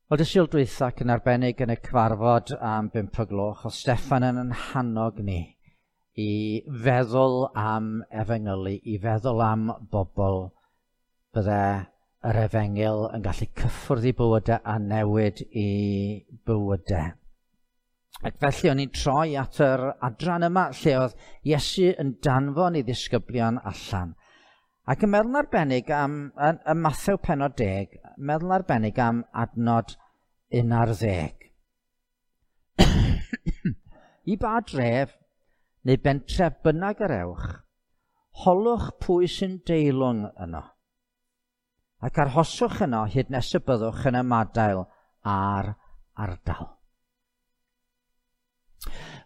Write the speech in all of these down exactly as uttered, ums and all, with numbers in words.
Wel, dy Sul dwytha ac yn arbennig yn y cyfarfod am bump o gloch, oedd Steffan yn yn hannog ni i feddwl am efengylu, i feddwl am bobl bydde yr efengyl yn gallu cyffwrdd i bywydau a newid i bywydau. Ac felly o'n i'n troi at yr adran yma lle oedd Iesu yn danfon ei ddisgyblion allan. Ac yn meddwl arbennig am, yn, yn Mathew pennod deg, meddwl arbennig am adnod un ar ddeg. I ba dref neu bentref bynnag yr ewch, holwch pwy sy'n deilwng yno. Ac arhoswch yno hyd nes y byddwch yn ymadael â'r ardal.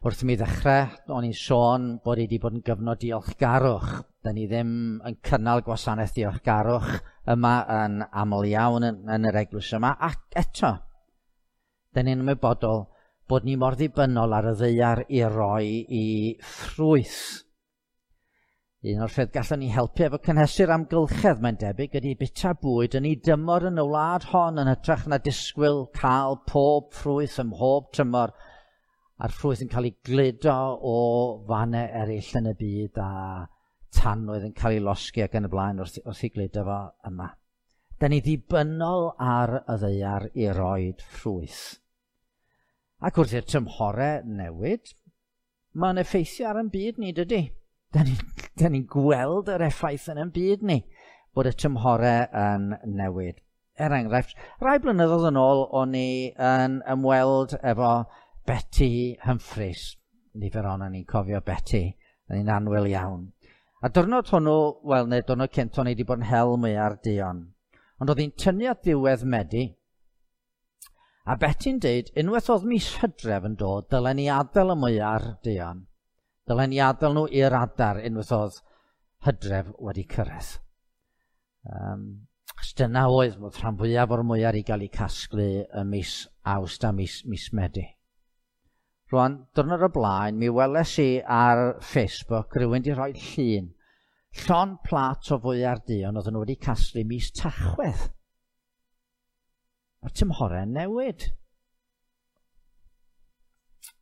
Wrth i mi ddechrau, o'n i'n sôn bod i wedi bod yn gyfnod diolchgarwch. Da ni ddim yn cynnal gwasanaeth diolchgarwch yma yn aml iawn yn, yn yr eglwys yma. Ac eto, da ni'n ymwybodol bod ni mor ddibynnol ar y ddaear i roi i ffrwyth. Un o'r ffyrdd gallwn ni helpu efo cynhesu'r amgylchedd, mae'n debyg, ydy bita bwyd yn ei dymor yn y wlad hon yn hytrach na disgwyl cael pob ffrwyth ym mhob tymor, a'r ffrwyth yn cael ei gludo o fannau eraill yn y byd a tanwydd yn cael ei losgi ac yn y blaen wrth, wrth i gludo fo yma. Da ni ddibynnol ar y ddaear i roed ffrwyth. Ac wrth i'r tymhorau newid, mae'n effeithio ar ein byd ni, dydy? Da ni'n ni gweld yr effaith yn ein byd ni, bod y tymhorau yn newid. Er enghraifft, rai blynyddoedd yn ôl, o'n i yn ymweld efo Betty Humphreys. Nifer ohonon ni'n cofio Betty, yn un annwyl iawn. A diwrnod hwnnw, wel, neu diwrnod cynt, o'n i wedi bod yn hel mwyar duon. Ond oedd hi'n tynnu at ddiwedd Medi, a Betty'n deud, unwaith oedd mis Hydref yn dod, dylen ni adael y mwyar duon. Dylen ni adael nhw i'r adar unwaith oedd Hydref wedi cyrraedd. Um, dyna oedd bod rhan fwyaf o'r mwyar i gael eu casglu ym mis Awst a mis, mis Medi. Rwan, diwrnod o blaen, mi weles i ar Facebook rhywun wedi rhoi llun. Llon plat o fwyar duon oedden nhw wedi casglu mis Tachwedd. Mae'r tymhorau'n newid.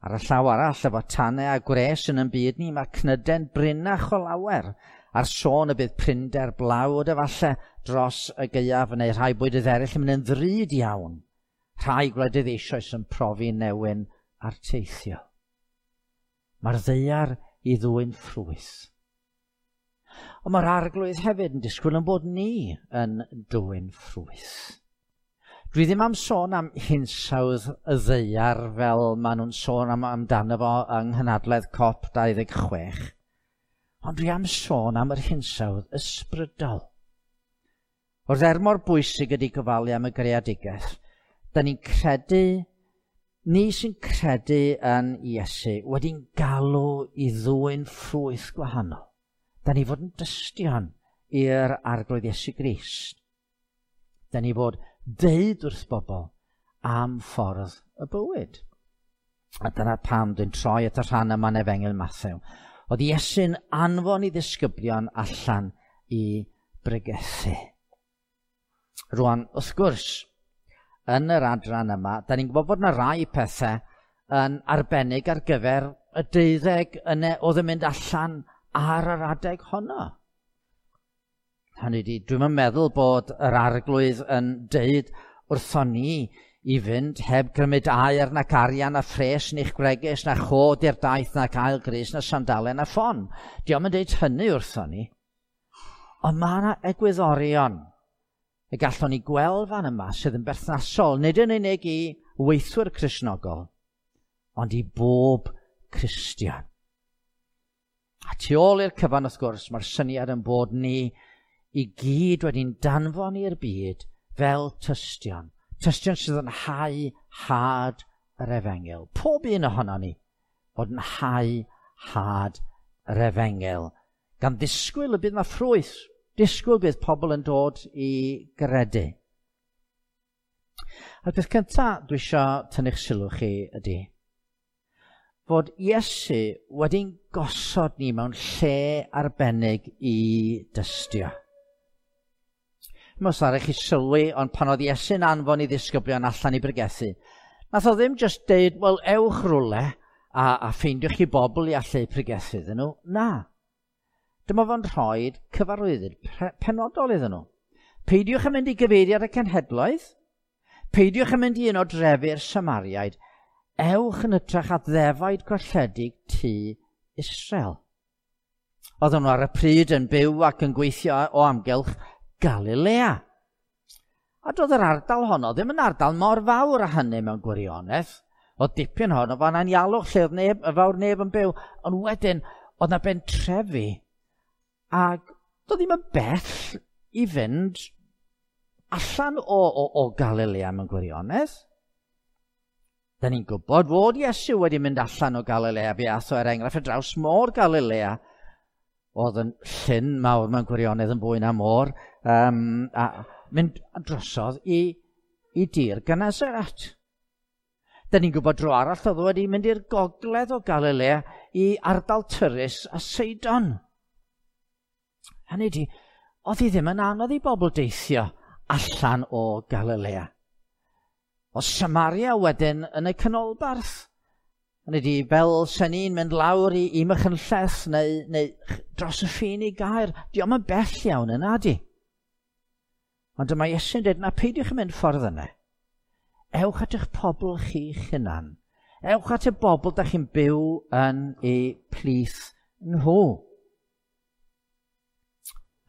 Ar y llaw arall, efo tanau a gwres yn ein byd ni, mae cnydau'n brinach o lawer. A'r sôn y bydd prinder blawd efallai dros y gaeaf neu rhai bwydydd eraill yn mynd yn ddrud iawn. Rhai gwledydd eisoes yn profi newyn a'r teithio. Mae'r ddaear i ddwyn ffrwyth. Ond mae'r arglwydd hefyd yn disgwyl yn bod ni yn dwyn ffrwyth. Dwi ddim am sôn am hinsawdd y ddaear fel maen nhw'n sôn am amdano fo yng nghynhadledd COP dau ddeg chwech, ond dwi am sôn am yr hinsawdd ysbrydol. Wrth er mor bwysig ydy gofalu am y greadigaeth, da ni'n credu, ni sy'n credu yn Iesu wedi'n galw i ddwyn ffrwyth gwahanol. Da ni fod yn dystion i'r arglwydd Iesu Grist. Da ni fod deud wrth bobl am ffordd y bywyd. A dyna pam dwi'n troi at y rhan yma yn Efengyl Mathew. Oedd Iesu'n anfon i ddisgyblion allan i bregethu. Rwan, wrth gwrs, yn yr adran yma, da ni'n gwybod bod yna rai pethau yn arbennig ar gyfer y deuddeg yna oedd yn mynd allan ar yr adeg honno. Hynny ydi, dwi'm yn meddwl bod yr arglwydd yn deud wrthon ni i fynd heb gymryd aur nac arian na phres neu'ch gwregys na chod i'r daith nac ail grys na sandalen na ffon. Dio'm yn deud hynny wrthon ni. Ond mae yna egwyddorion y gallwn ni gweld fan yma sydd yn berthnasol, nid yn unig i weithwyr Cristnogol, ond i bob Cristion. A tu ôl i'r cyfan, wrth gwrs, mae'r syniad yn bod ni i gyd wedi'n danfon i'r byd fel tystion. Tystion sydd yn hau had yr efengyl. Pob un ohono ni fod yn hau had yr efengyl. Gan ddisgwyl y bydd yna ffrwyth. Disgwyl bydd pobl yn dod i gredu. A'r peth cyntaf dwi eisiau tynnu'ch sylw chi ydy fod Iesu wedi'n gosod ni mewn lle arbennig i dystio. Dwi'n meddwl chi sylwi, ond pan oedd Iesu'n anfon i ddisgyblion allan i bregethu, nath o ddim jyst deud, wel, ewch rwle a, a ffeindiwch chi bobl i allu pregethu iddyn nhw. Na. Dyma fo'n rhoi cyfarwyddyd penodol iddyn nhw. Peidiwch yn mynd i gyfeiriad y cenhedloedd. Peidiwch yn mynd i un o drefi'r Samariaid. Ewch yn hytrach at ddefaid golledig tŷ Israel. Oedden nhw ar y pryd yn byw ac yn gweithio o amgylch Galilea. A doedd yr ardal honno ddim yn ardal mor fawr â hynny mewn gwirionedd. Oedd dipyn honno fan anialwch lle oedd neb, fawr neb yn byw. Ond wedyn, oedd na bentrefi. Ac doedd ddim yn bell i fynd allan o, o, o Galilea mewn gwirionedd. Da ni'n gwybod fod Iesu wedi mynd allan o Galilea, fe ath o er enghraifft ar draws môr Galilea, oedd yn llyn mawr mewn gwirionedd yn fwy na môr, um, a mynd drosodd i, i dir Genesaret. Da ni'n gwybod dro arall oedd wedi mynd i'r gogledd o Galilea i ardal Tyrus a Seidon. Hynny ydi, oedd hi ddim yn anodd i bobl deithio allan o Galilea. O Samaria wedyn yn y canolbarth. Hynny ydi, fel sen ni'n mynd lawr i, i Machynlleth neu, neu dros y ffin i Gaer, dio'm yn bell iawn yna di. Ond dyma Iesu'n dweud, na peidiwch yn mynd ffordd yna. Ewch at eich pobl chi'ch hunan. Ewch at y bobl da chi'n byw yn eu plith nhw.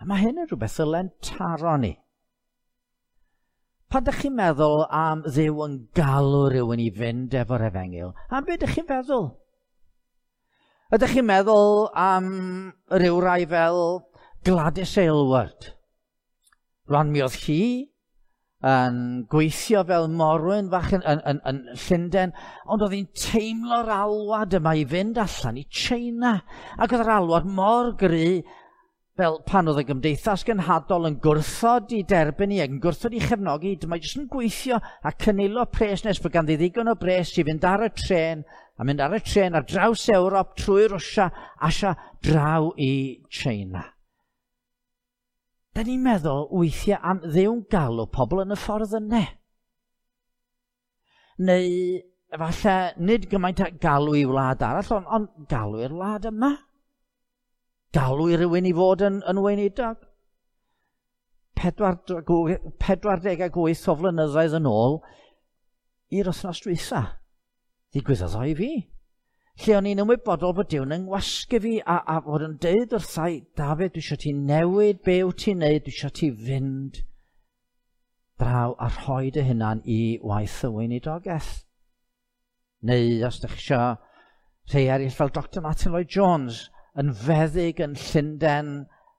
A mae hyn yn rhywbeth ddyle'n taro ni. Pan ydych chi'n meddwl am Dduw yn galw rhywun i fynd efo'r efengyl, am beth ydych chi'n feddwl? Ydych chi'n meddwl am ryw rai fel Gladys Aylward? Rwan mi oedd hi yn gweithio fel morwyn fach yn, yn, yn, yn Llundain, ond oedd hi'n teimlo'r alwad yma i fynd allan i China. Ac oedd yr alwad mor gry fel pan oedd y gymdeithas genhadol yn gwrthod i derbyn i ac yn gwrthod i chefnogi, dyma jyst yn gweithio a cynilo pres nes bod ganddi ddigon o bres i fynd ar y trên, a mynd ar y trên ar draws Ewrop trwy Rwsia, Asia, draw i China. Da ni'n meddwl weithiau am Dduw'n galw pobl yn y ffordd yna. Neu efallai nid gymaint a galw i wlad arall, ond, ond galw i'r wlad yma. Galw i rywun i fod yn, yn weinidog. pedwar deg wyth o flynyddoedd yn ôl i'r wythnos dwytha. Ddigwyddodd o i fi. Lle o'n i'n ymwybodol bod Duw'n yng ngwasgu fi a, a fod yn deud wrthai, Dafydd, dwi eisiau ti newid be wyt ti'n neud, dwi eisiau ti fynd draw a rhoi dy hunan i waith y weinidogaeth. Neu os ydych chi eisiau rhai eraill fel Doctor Martin Lloyd Jones, yn feddyg yn Llundain,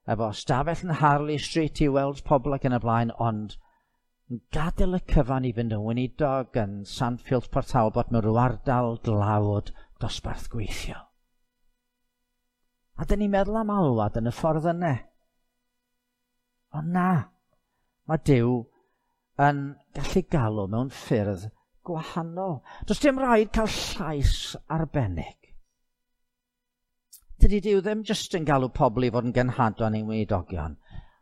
efo stafell yn Harley Street i weld pobl ac yn y blaen, ond yn gadael y cyfan i fynd yn weinidog yn Sandfield Port Talbot mewn rhyw ardal dlawd dosbarth gweithio. A dyn ni'n meddwl am alwad yn y ffordd yna. Ond na, mae Duw yn gallu galw mewn ffyrdd gwahanol. Does dim rhaid cael llais arbennig. Dydy Duw ddim jyst yn galw pobl i fod yn genhadon neu'n weinidogion.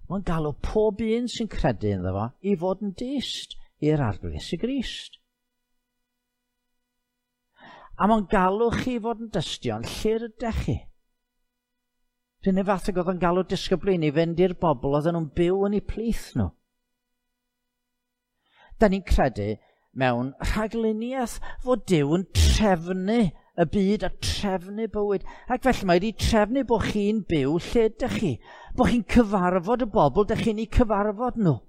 Mae'n galw pob un sy'n credu ynddo fo i fod yn dyst i'r Arglwydd Iesu Grist. A mae'n galw chi fod yn dystion lle rydych chi. Rhywun fath ag oedd yn galw disgyblion i fynd i'r bobl oedden nhw'n byw yn eu plith nhw. Da ni'n credu mewn rhagluniaeth fod Duw yn trefnu y byd a trefnu bywyd. Ac felly mae wedi trefnu bod chi'n byw lle ydych chi. Bod chi'n cyfarfod y bobl ydych chi'n eu cyfarfod nhw.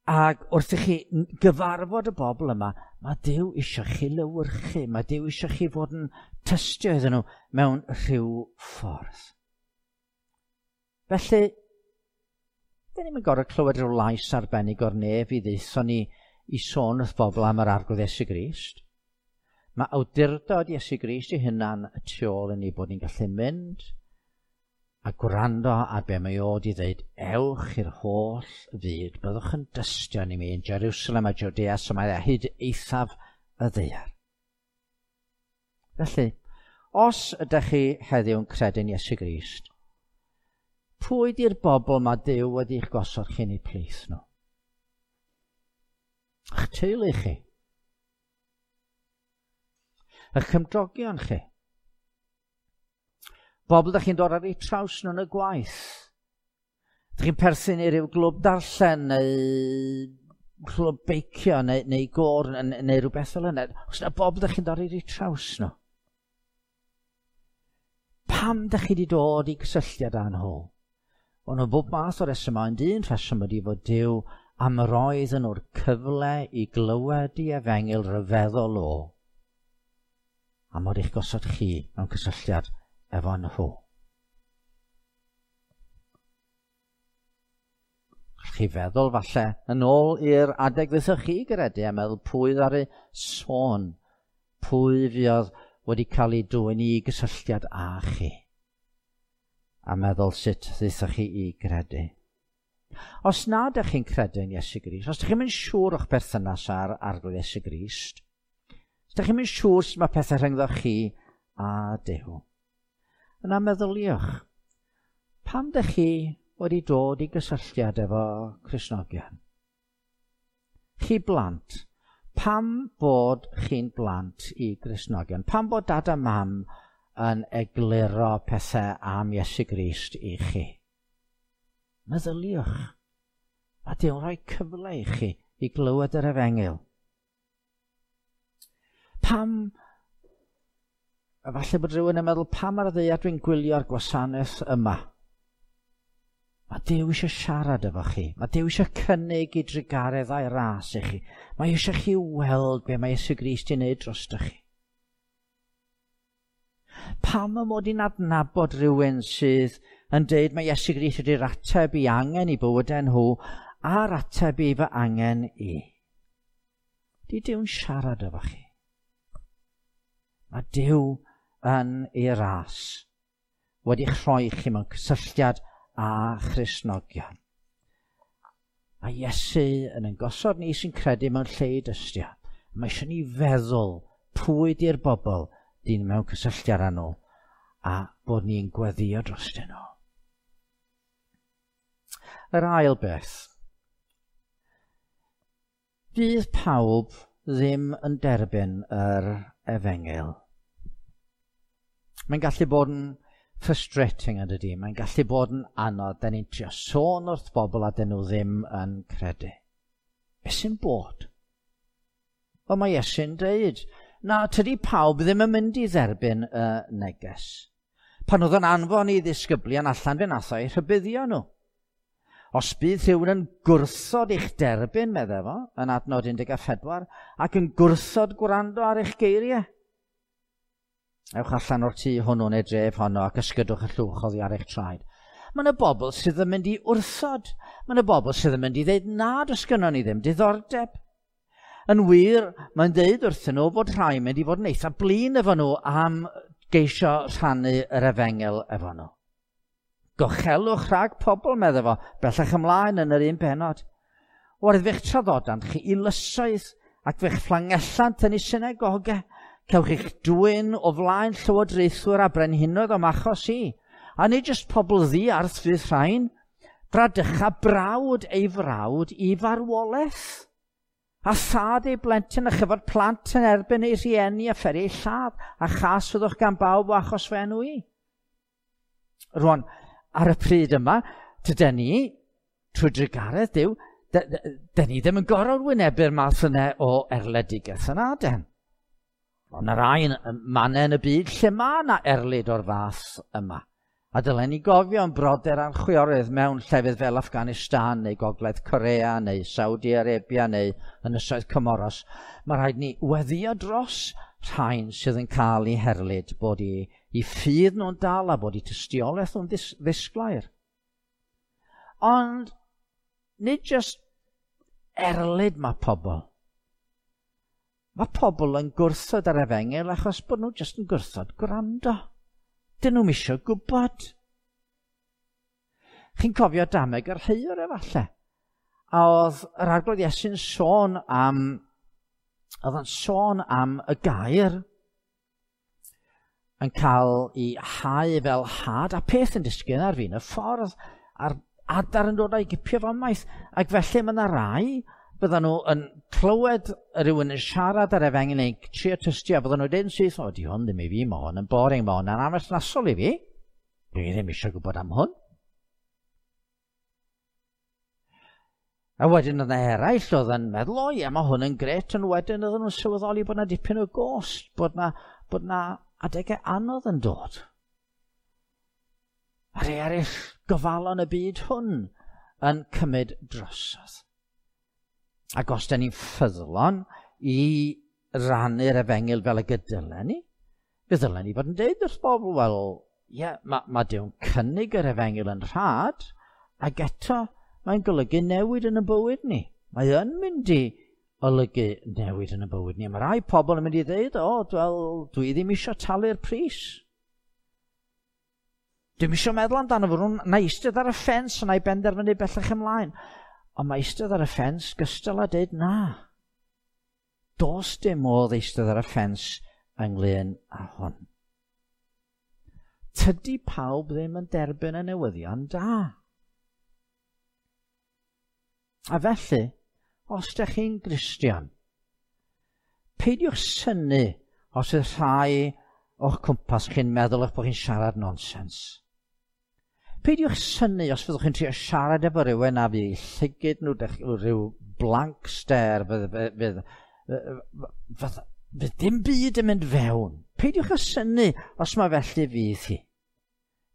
Ac wrth i chi gyfarfod y bobl yma, mae Duw eisiau chi lewyrchu. Mae Duw eisiau chi fod yn tystio iddyn nhw mewn rhyw ffordd. Felly, dyn ni'm yn gorfod clywed rhyw lais arbennig o'r nef i ddeutho ni i sôn wrth bobl am yr Arglwydd Iesu Grist. Mae awdurdod Iesu Grist ei hunan y tu ôl i ni bod ni'n gallu mynd a gwrando ar be mae o wedi dweud, ewch i'r holl fyd, byddwch yn dystion i mi yn Jerusalem a Judea, Samaria, hyd eithaf y ddaear. Felly, os ydych chi heddiw'n credu'n Iesu Grist, Pwy di'r bobl mae Duw wedi'ch gosod chi'n eu plith nhw? Eich teulu chi. Eich cymdogion chi. Bobl ydych chi'n dod ar eu traws nhw yn y gwaith. Ydych chi'n perthyn i ryw glwb darllen neu clwb beicio neu, neu gôr neu, neu rhywbeth fel yna. Os yna bobl ydych chi'n dod ar eu traws nhw. Pam ydych chi wedi dod i gysylltiad â nhw? Wel, nhw bob math o resymau, ond un rheswm ydy fod Duw am roedd yn nhw'r cyfle i glywed i efengyl ryfeddol o, a mod eich gosod chi mewn cysylltiad efo nhw. Gallwch chi feddwl falle yn ôl i'r adeg ddethoch chi gredu a meddwl pwy ddaru sôn, pwy fuodd wedi cael ei dwyn i gysylltiad â chi, a meddwl sut ddethoch chi i gredu. Os na ydych chi'n credu yn Iesu Grist, os ydych chi'n mynd siŵr o'ch berthynas â'r Arglwydd Iesu Grist, os ydych chi'n mynd siŵr sut mae pethau rhyngddo chi a Duw, yna meddyliwch, pam ydych chi wedi dod i gysylltiad efo Cristnogion? Chi blant, pam bod chi'n blant i Gristnogion? Pam bod dad a mam yn egluro pethau am Iesu Grist i chi? Meddyliwch, a Duw'n rhoi cyfle i chi i glywed yr efengyl. Pam, falle bod rhywun yn meddwl, pam ar y ddaear dwi'n gwylio'r gwasanaeth yma? Mae Duw eisiau siarad efo chi. Mae Duw eisiau cynnig i drugaredd a'i ras i chi. Mae eisiau chi weld be mae Iesu Grist i wneud drostoch chi. Pam y mod i'n adnabod rhywun sydd yn deud mae Iesu Grist ydy'r ateb i angen i bywydau nhw a'r ateb i fy angen i? Di Duw'n siarad efo chi. Mae Duw yn ei ras wedi'ch rhoi chi mewn cysylltiad â Christnogion. Mae Iesu yn ein gosod ni sy'n credu mewn lle i dystio. Mae eisiau ni feddwl pwy di'r bobl dyn mewn cysylltiad â nhw a bod ni'n gweddio drostyn nhw. Yr ail beth. Fydd pawb ddim yn derbyn yr efengyl. Mae'n gallu bod yn frustrating yn dydi. Mae'n gallu bod yn anodd. Da ni'n trio sôn wrth bobl a dyn nhw ddim yn credu. Be sy'n bod? Wel, mae Iesu'n dweud, na, tydi pawb ddim yn mynd i dderbyn y neges. Pan oedd yn anfon i ddisgyblion allan, fe nath o'i rhybuddio nhw. Os bydd rhywun yn gwrthod eich derbyn, meddai fo, yn adnod un deg pedwar, ac yn gwrthod gwrando ar eich geiriau, ewch allan o'r tŷ hwnnw neu dref honno ac ysgydwch y llwch oddi ar eich traed. Mae yna bobl sydd yn mynd i wrthod. Mae yna bobl sydd yn mynd i ddeud na, does gynnon ni ddim diddordeb. Yn wir, mae'n deud wrthyn nhw bod rhai mynd i fod yn eitha blin efo nhw am geisio rhannu yr efengyl efo nhw. Gochelwch rhag pobl, meddai fo, bellach ymlaen yn yr un bennod. Oherwydd fe'ch traddodant chi i lysoedd ac fe'ch fflangellant yn eu synagogau. Cewch eich dwyn o flaen llywodraethwyr a brenhinoedd o'm achos i. A nid jyst pobl ddiarth fydd rhain, bradycha brawd ei frawd i farwolaeth. A thad ei blentyn a chyfod plant yn erbyn ei rhieni a pheri ei lladd, a chas fyddwch gan bawb o achos fy enw i. Rwan, ar y pryd yma, tyden ni, trwy drugaredd Duw, dyn ni ddim yn gorfod wynebu'r math yna o erledigaeth yna, den. Ond y rai mannau yn y byd lle mae yna erlid o'r fath yma. A dylen ni gofio yn brodyr a'n chwiorydd mewn llefydd fel Afghanistan neu Gogledd Corea neu Saudi Arabia neu Ynysoedd Comoros. Mae rhaid ni weddio dros rhain sydd yn cael eu herlid, bod i, i ffydd nhw'n dal a bod i tystiolaeth nhw'n ddis, ddisglair. Ond nid jyst erlid mae pobl. Mae pobl yn gwrthod yr efengyl achos bod nhw jyst yn gwrthod gwrando. Dyn nhw'm isio gwybod. Chi'n cofio dameg yr heiwr efallai? A oedd yr Arglwydd Iesu'n sôn am, oedd o'n sôn am y gair yn cael ei hau fel had, a peth yn disgyn ar fin y ffordd, a'r adar yn dod a'i gipio fo ymaith. Ac felly mae yna rai, byddan nhw yn clywed rhywun yn siarad ar efengyl neu trio tystio, a byddan nhw'n dweud yn syth, o, di hwn ddim i fi, mae hwn yn boring, mae hwn yn amherthnasol i fi. Dwi ddim eisiau gwybod am hwn. A wedyn oedd yna eraill oedd yn meddwl, o ie, mae hwn yn gret, ond wedyn oedden nhw'n sylweddoli bod yna dipyn o gost, bod yna, bod yna adegau anodd yn dod. A rhai eraill gofalon y byd hwn yn cymryd drosodd. Ac os da ni'n ffyddlon i rannu'r efengyl fel y gydylen ni, fe ddylen ni fod yn deud wrth bobl, wel, ie, mae ma Duw'n cynnig yr efengyl yn rhad, ac eto mae'n golygu newid yn y bywyd ni. Mae yn mynd i olygu newid yn y bywyd ni. Mae rai pobl yn mynd i ddeud, o, wel, dwi ddim eisiau talu'r pris. Dwi'm eisiau meddwl amdano fo, na eistedd ar y ffens a na i benderfynu bellach ymlaen. Ond mae eistedd ar y ffens gystal â deud na. Does dim modd eistedd ar y ffens ynglyn â hwn. Tydi pawb ddim yn derbyn y newyddion da. A felly, os ydych chi'n Gristion, peidiwch synnu os yw rhai o'ch cwmpas chi'n meddwl eich bod chi'n siarad nonsens. Peidiwch synnu os fyddwch chi'n trio siarad efo rhywun a fydd llygid nhw rhyw blank stare, fydd, fydd, fydd, fydd dim byd yn mynd fewn. Peidiwch â synnu os mae felly fydd hi.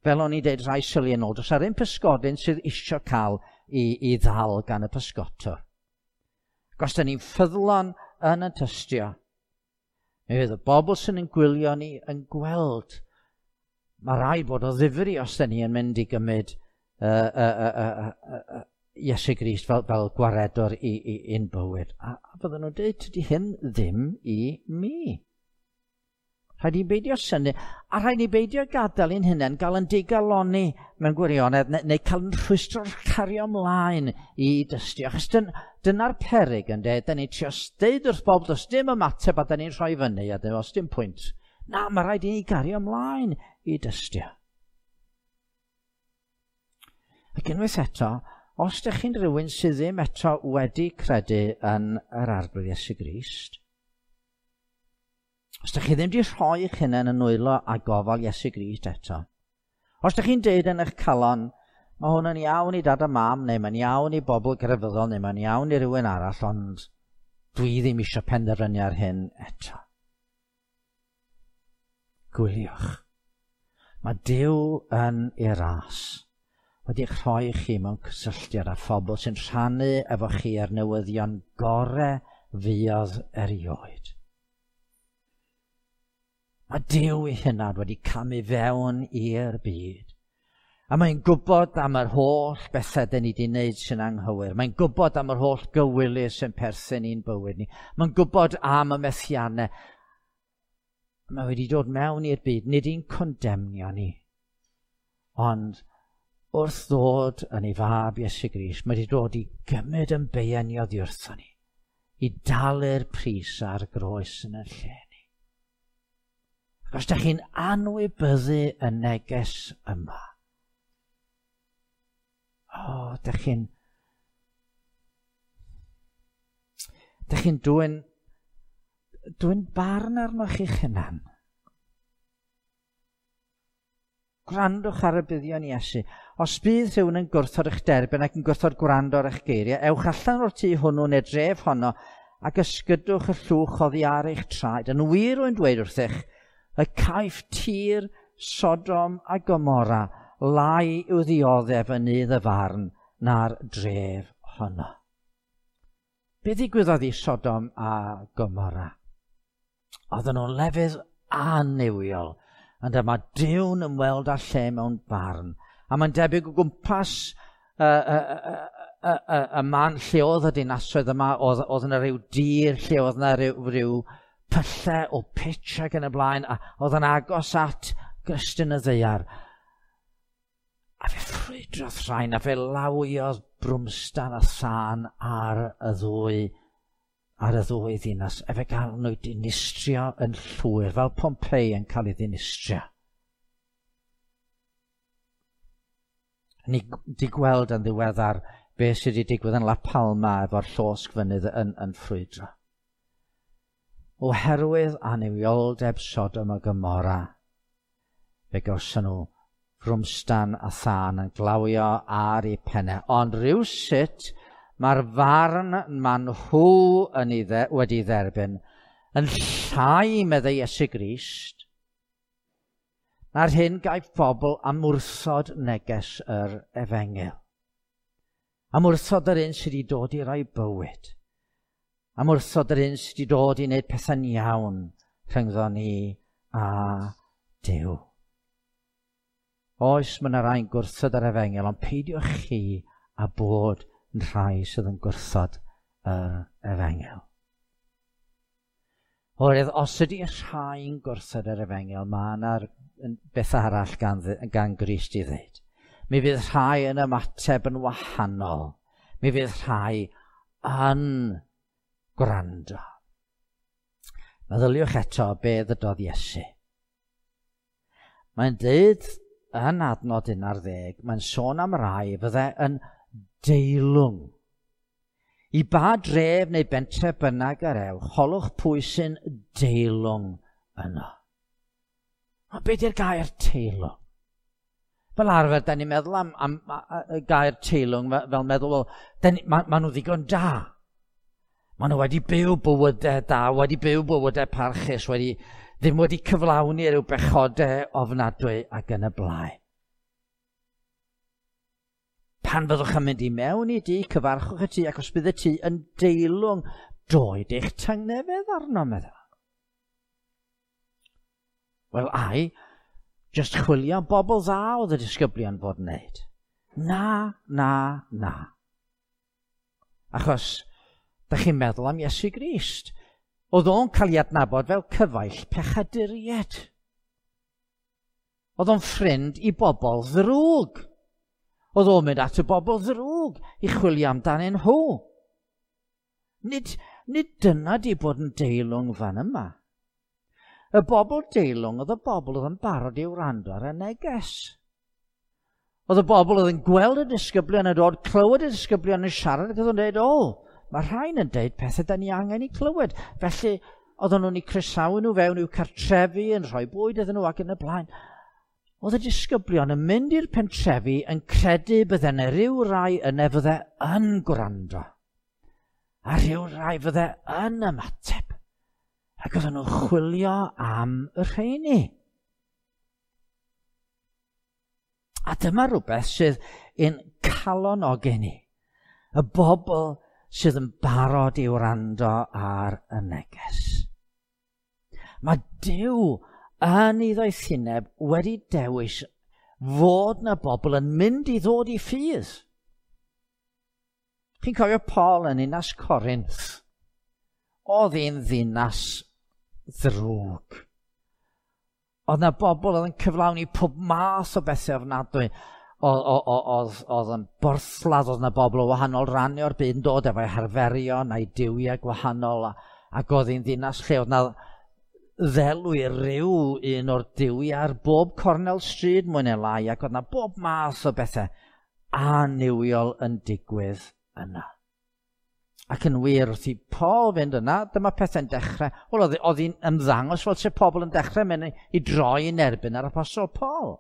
Fel o'n i'n deud rhai syliau yn ôl, does ar un pysgodyn sydd isio cael i, i ddal gan y pysgotwr. Ac os da ni'n ffyddlon yn y tystio, mi fydd y bobl sy'n yn gwylio ni yn gweld. Mae rhaid bod o ddifri os da ni yn mynd i gymryd uh, uh, uh, uh, uh, uh, Iesu Grist fel, fel gwaredwr i, i, i'n bywyd. A, a bydden nhw'n dweud, tydi hyn ddim i mi. Rhaid i beidio synnu, a rhaid i beidio gadael i'n hunain gael yn digalonni mewn gwirionedd, neu, neu cael yn rhwystro cario ymlaen i dystio. Achos dyn, dyna'r peryg, ynde, da ni'n trio deud wrth bobl, does dim ymateb a da ni'n rhoi fyny, a does dim pwynt. Na, mae rhaid i ni gario ymlaen i dystio. Ac unwaith eto, os ydych chi'n rhywun sydd ddim eto wedi credu yn yr Arglwydd Iesu Grist, os ydych chi ddim wedi rhoi eich hunain yn nwylo a gofal Iesu Grist eto, os ydych chi'n deud yn eich calon, mae hwn yn iawn i dad a mam, neu mae'n iawn i bobl grefyddol, neu mae'n iawn i rywun arall, ond dwi ddim eisiau penderfynu ar hyn eto. Gwyliwch. Mae Duw yn ei ras wedi eich rhoi chi mewn cysylltiad â phobl sy'n rhannu efo chi ar newyddion gore fuodd erioed. Mae Duw ei hunan wedi camu fewn i'r byd. A mae'n gwybod am yr holl bethau dyn ni wedi wneud sy'n anghywir. Mae'n gwybod am yr holl gywilydd sy'n perthyn i'n bywyd ni. Mae'n gwybod am y methiannau. Mae wedi dod mewn i'r byd, nid i'n condemnio ni. Ond wrth ddod yn ei fab Iesu Grist, mae wedi dod i gymryd yn beiau ni oddi wrtho ni, i dalu'r pris ar groes yn y lle ni. Ac os ydych chi'n anwybyddu y neges yma, o, oh, ydych chi'n ydych chi'n dwyn dwyn barn arnoch chi'ch hunan. Gwrandwch ar y buddion Iesu. Os bydd rhywun yn gwrthod eich derbyn ac yn gwrthod gwrando ar eich geiriau, ewch allan o'r tŷ hwnnw neu dref honno ac ysgydwch y llwch oddi ar eich traed. Yn wir rwy'n dweud wrthych, y caiff tir Sodom a Gomorra lai i'w ddioddef yn nydd y farn na'r dref honno. Be ddigwyddodd i Sodom a Gomorra? Oedden nhw'n lefydd annuwiol, ond yma Duw'n ymweld â lle mewn barn. A mae'n debyg o gwmpas y, y, y, y, y, y man lle oedd y dinasoedd yma, oedd, oedd yna rhyw dir, lle oedd yna rhyw, rhyw pyllau o pitch ac yn y blaen, a oedd yn agos at grystyn y ddaear. A fe ffrwydrodd rhain, a fe lawiodd brwmstan a thân ar y ddwy, ar y ddwy ddinas, a fe gael nhw dinistrio yn llwyr, fel Pompeii yn cael ei ddinistrio. Ni di gweld yn ddiweddar beth sydd wedi digwydd yn La Palma efo'r llosg fynydd yn, yn ffrwydro. Oherwydd annuwioldeb Sodom a Gomorra, fe gawson nhw frwmstan a thân yn glawio ar eu pennau. Ond rhywsut mae'r farn maen nhw yn ei dde, wedi dderbyn yn llai, meddai Iesu Grist, na'r hyn gaiff bobl am wrthod neges yr efengyl. Am wrthod yr un sydd wedi dod i roi bywyd. Am wrthod yr un sydd wedi dod i wneud pethau'n iawn rhyngddo ni a Duw. Oes, mae yna rai'n gwrthod yr efengyl, ond peidiwch chi a bod yn rhai sydd yn gwrthod yr efengyl. Oherwydd os ydy rhai'n gwrthod yr efengyl, mae yna beth arall gan, gan Grist i ddweud. Mi fydd rhai yn ymateb yn wahanol. Mi fydd rhai yn gwrando. Meddyliwch eto be ddydodd Iesu. Mae'n dweud yn adnod un ar ddeg, mae'n sôn am rai fydde yn deilwng. I ba dref neu bentre bynnag yr ewch, holwch pwy sy'n deilwng yno. Ond be di'r gair teilwng? Fel arfer, da ni'n meddwl am, am, am y gair teilwng fel, fel meddwl, wel, ni, ma, ma nhw ddigon da. Ma nhw wedi byw bywydau da, wedi byw bywydau parchus, wedi, ddim wedi cyflawni rhyw bechodau ofnadwy ac yn y blaen. Pan fyddwch yn mynd i mewn i dŷ, cyfarchwch y tŷ, ac os bydd y tŷ yn deilwng, doed eich tangnefedd arno, meddwl. Wel, ai, jyst chwilio am bobl dda oedd y disgyblion fod yn wneud. Na, na, na. Achos, da chi'n meddwl am Iesu Grist. Oedd o'n cael ei adnabod fel cyfaill pechaduriaid. Oedd o'n ffrind i bobl ddrwg. Oedd o'n mynd at y bobl ddrwg i chwilio amdanyn nhw. Nid, nid dyna di bod yn deilwng fan yma. Y bobl deilwng oedd y bobl oedd yn barod i wrando ar y neges. Oedd y bobl oedd yn gweld y disgyblion yn dod, clywed y disgyblion yn siarad ac oedd yn dweud, o, mae rhain yn dweud pethau da ni angen i clywed. Felly, oedden nhw'n eu croesawu nhw fewn i'w cartrefi, yn rhoi bwyd iddyn nhw ac yn y blaen. Oedd y disgyblion yn mynd i'r pentrefi yn credu bydde yna rhyw rai yna fydde yn gwrando. A rhyw rai fydde yn ymateb. Ac oedden nhw'n chwilio am y rheini. A dyma rhywbeth sydd yn calonogi ni. Y bobl sydd yn barod i wrando ar y neges. Mae Duw yn ei ddoethineb wedi dewis fod na bobl yn mynd i ddod i ffydd. Chi'n cofio Paul yn ninas Corinth? Oedd hi'n ddinas ddrwg. Oedd na bobl oedd yn cyflawni pob math o bethau ofnadwy. Oedd, oedd yn borthladd, oedd na bobl o wahanol rannau o'r byd yn dod efo'i harferion a'i duwiau gwahanol, ac oedd hi'n ddinas lle oedd na ddelw i ryw un o'r duwiau ar bob cornel stryd mwy neu lai, ac oedd na bob math o bethau annuwiol yn digwydd yna. Ac yn wir, wrth i Paul fynd yna, dyma pethau'n dechrau. Wel, oedd, oedd hi'n ymddangos fel se pobl yn dechrau mynd i droi yn erbyn ar apostol Paul.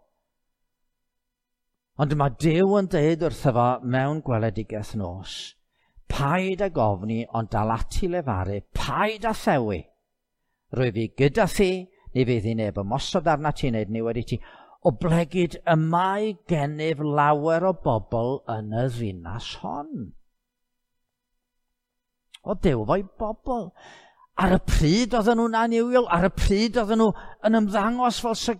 Ond dyma Duw yn dweud wrtho fo mewn gweledigaeth nos, paid ag ofni, ond dal ati lefaru, paid â thewi. Rwyf fi gyda thi, ni fydd i neb ymosod arna ti wneud niwed i ti. Oblegid y mae gennyf lawer o bobl yn y ddinas hon. O Duw fo'i bobl. Ar y pryd oedden nhw'n annuwiol, ar y pryd oedden nhw yn ymddangos fel se,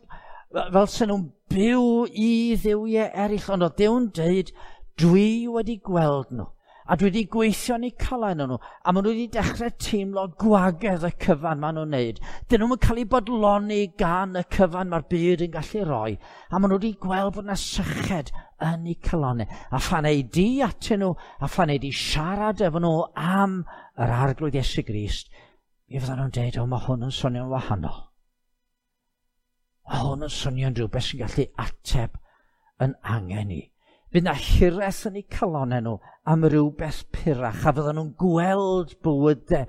fel se nhw'n byw i dduwiau eraill, ond oedd Duw'n dweud, dwi wedi gweld nhw, a dwi wedi gweithio yn eu calau nhw, a maen nhw wedi dechrau teimlo gwagedd y cyfan maen nhw'n neud. Dyn nhw'n cael eu bodloni gan y cyfan mae'r byd yn gallu roi, a maen nhw wedi gweld bod yna syched yn eu calonnau. A phan ei di atyn nhw, a phan ei di siarad efo nhw am yr Arglwydd Iesu Grist, mi fyddan nhw'n dweud, o, mae hwn yn swnio'n wahanol. Mae hwn yn swnio'n rhywbeth sy'n gallu ateb yn angen i. Bydd na hiraeth yn eu calonnau nhw am rywbeth purach, a fydden nhw'n gweld bywydau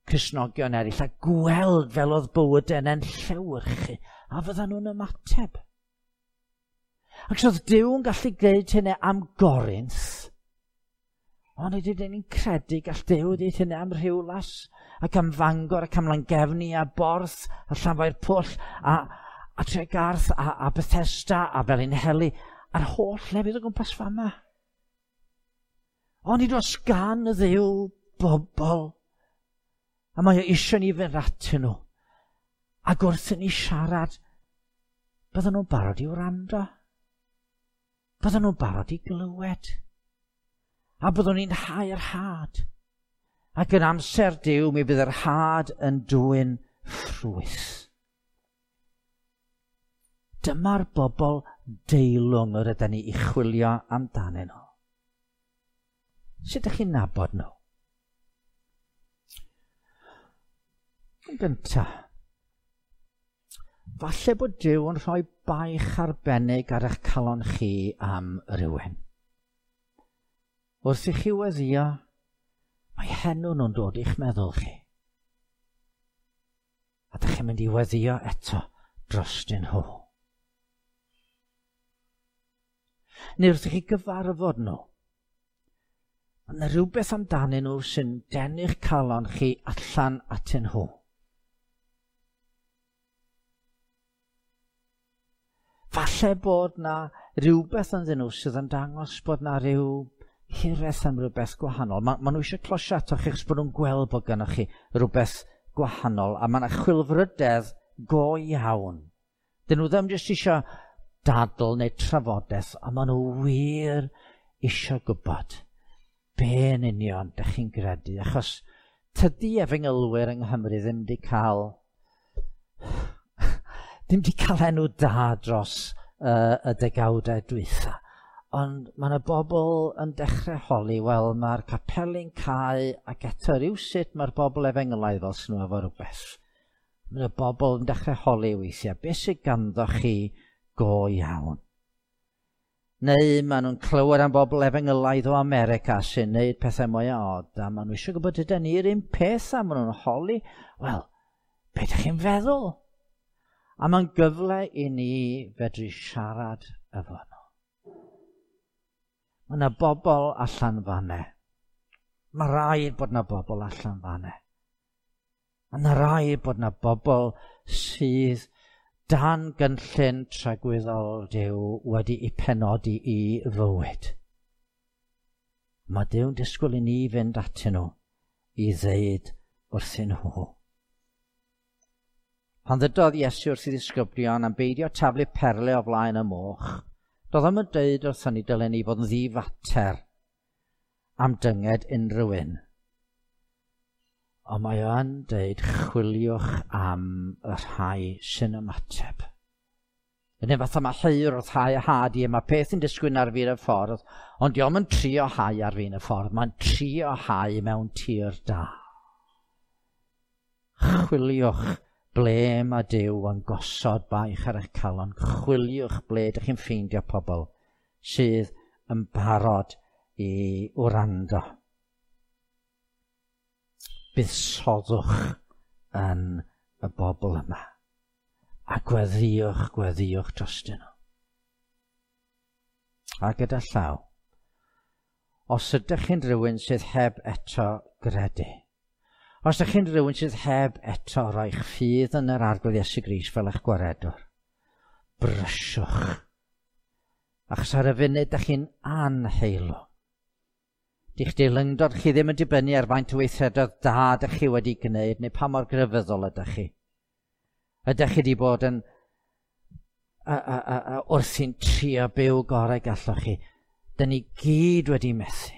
Cristnogion eraill, a gweld fel oedd bywydau yna'n llewyrchu, a fydden nhw'n ymateb. Ac os oedd Duw yn gallu gwneud hynny am Gorinth, ond ydyn ni'n credu gall Duw wneud hynny am Rhiwlas, ac am Fangor, ac am Langefni, a Borth, a Llanfairpwll, a, a Tregarth, a, a Bethesda, a Felinheli, a'r holl lefydd o gwmpas fama. Ond nid oes gan y Dduw bobl, a mae o eisiau ni fynd atyn nhw. Ac wrth i ni siarad, bydden nhw'n barod i wrando. Bydden nhw'n barod i glywed. A byddwn ni'n hau'r had. Ac yn amser Duw, mi fydd yr had yn dwyn ffrwyth. Dyma'r bobl deilwng yr ydyn ni i chwilio amdanyn nhw. Sut ydych chi'n nabod nhw? Yn gyntaf, falle bod Duw yn rhoi baich arbennig ar eich calon chi am rywun. Wrth i chi weddïo, mae henw nhw'n dod i'ch meddwl chi. A dych chi'n mynd i weddïo eto drostyn nhw. Neu wrth i chi gyfarfod nhw, mae yna rhywbeth amdanyn nhw sy'n denu'ch calon chi allan atyn nhw. Falle bod na rhywbeth ynddyn nhw sydd yn dangos bod na rhyw hiraeth am rhywbeth gwahanol. Ma, ma nhw eisiau closio atoch chi achos bod nhw'n gweld bod gennych chi rhywbeth gwahanol, a mae yna chwilfrydedd go iawn. Dyn nhw ddim jyst eisiau dadl neu trafodaeth, a maen nhw wir eisiau gwybod be yn union dych chi'n gredu, achos tydi efengylwyr yng Nghymru ddim wedi cael ddim wedi cael enw da dros uh, y degawdau dwytha. Ond mae yna bobl yn dechrau holi, wel, mae'r capeli'n cau ac eto rywsut mae'r bobl efengylaidd fel sy'n nhw efo rhywbeth. Mae yna bobl yn dechrau holi weithiau, beth sydd ganddo chi go iawn? Neu maen nhw'n clywed am bobl efengylaidd o America sy'n neud pethau mwy o od, a maen nhw eisiau gwybod ydyn ni'r un peth, a maen nhw'n holi, wel, be ydych chi'n feddwl? A mae'n gyfle i ni fedru siarad efo nhw. Mae yna bobl allan fanne. Mae rhaid bod yna bobl allan fanne. Mae yna rhaid bod yna bobl sydd dan gynllun tragwyddol Duw wedi'i penodi i fywyd. Mae Duw'n disgwyl i ni fynd atyn nhw i ddeud wrthyn nhw. Pan ddydodd Iesu wrth ei ddisgyblion am beidio taflu perle o flaen y moch, doedd o'm yn deud wrthon ni dylen ni fod yn ddifater am dynged unrhyw un. Ond mae o'n deud chwiliwch am y rhai sy'n ymateb. Yn un fatha mae heuwr wrth hau had i, mae peth yn disgwyl ar fin y ffordd, ond dio'm yn trio hau ar fin y ffordd, mae'n trio hau mewn tir da. Chwiliwch ble mae Duw yn gosod baich ar eich calon. Chwiliwch ble ydych chi'n ffeindio pobl sydd yn barod i wrando. Buddsoddwch yn y bobl yma. A gweddïwch, gweddïwch drostyn nhw. A gyda llaw, os ydych chi'n rhywun sydd heb eto gredu, os ydych chi'n rhywun sydd heb eto roi'ch ffydd yn yr Arglwydd Iesu Grist fel eich gwaredwr, brysiwch. Achos ar y funud ydych chi'n anheilwng. Dych deilyngdod chi ddim yn dibynnu ar faint o weithredoedd da ydych chi wedi gwneud neu pa mor grefyddol ydych chi. Ydych chi wedi bod yn a, a, a, a, wrthi'n trio byw gorau gallwch chi. Dyn ni gyd wedi methu.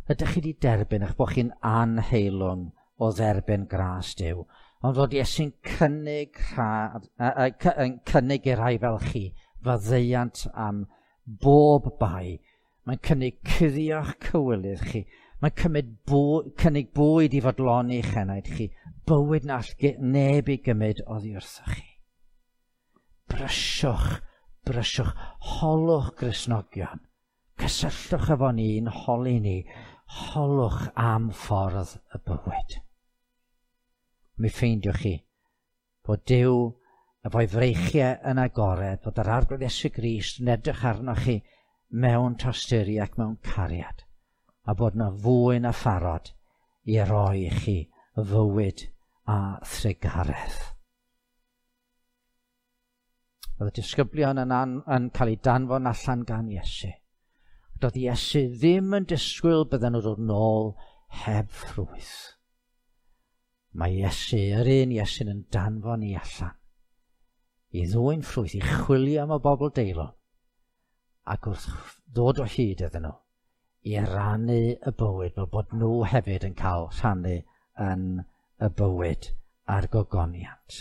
Ydych chi wedi derbyn eich bod chi'n anheilwng o dderbyn gras Duw, ond fod Iesu'n cynnig, rhad, a, a, a, cynnig i rai fel chi faddeuant am bob bai. Mae'n cynnig cuddio'ch cywilydd chi. Mae'n cymryd bwy, cynnig bwyd i fodloni eich enaid chi. Bywyd na all neb i gymryd oddi wrthoch chi. Brysiwch, brysiwch, holwch Gristnogion. Cysylltwch efo ni'n holi ni, holwch am ffordd y bywyd. Mi ffeindiwch chi bod Duw efo'i freichiau yn agored, bod yr Arglwydd Iesu Grist yn edrych arnoch chi mewn tosturi ac mewn cariad, a bod yna fwy na pharod i roi i chi fywyd a thrugaredd. Oedd y disgyblion yn, an, yn cael eu danfon allan gan Iesu. Doedd Iesu ddim yn disgwyl bydden nhw dod nôl heb ffrwyth. Mae Iesu, yr un Iesu'n yn danfon ni allan i ddwyn ffrwyth, i chwilio am y bobl deilwng, ac wrth ddod o hyd iddyn nhw, i rannu y bywyd, fel bod nhw hefyd yn cael rhannu yn y bywyd a'r gogoniant.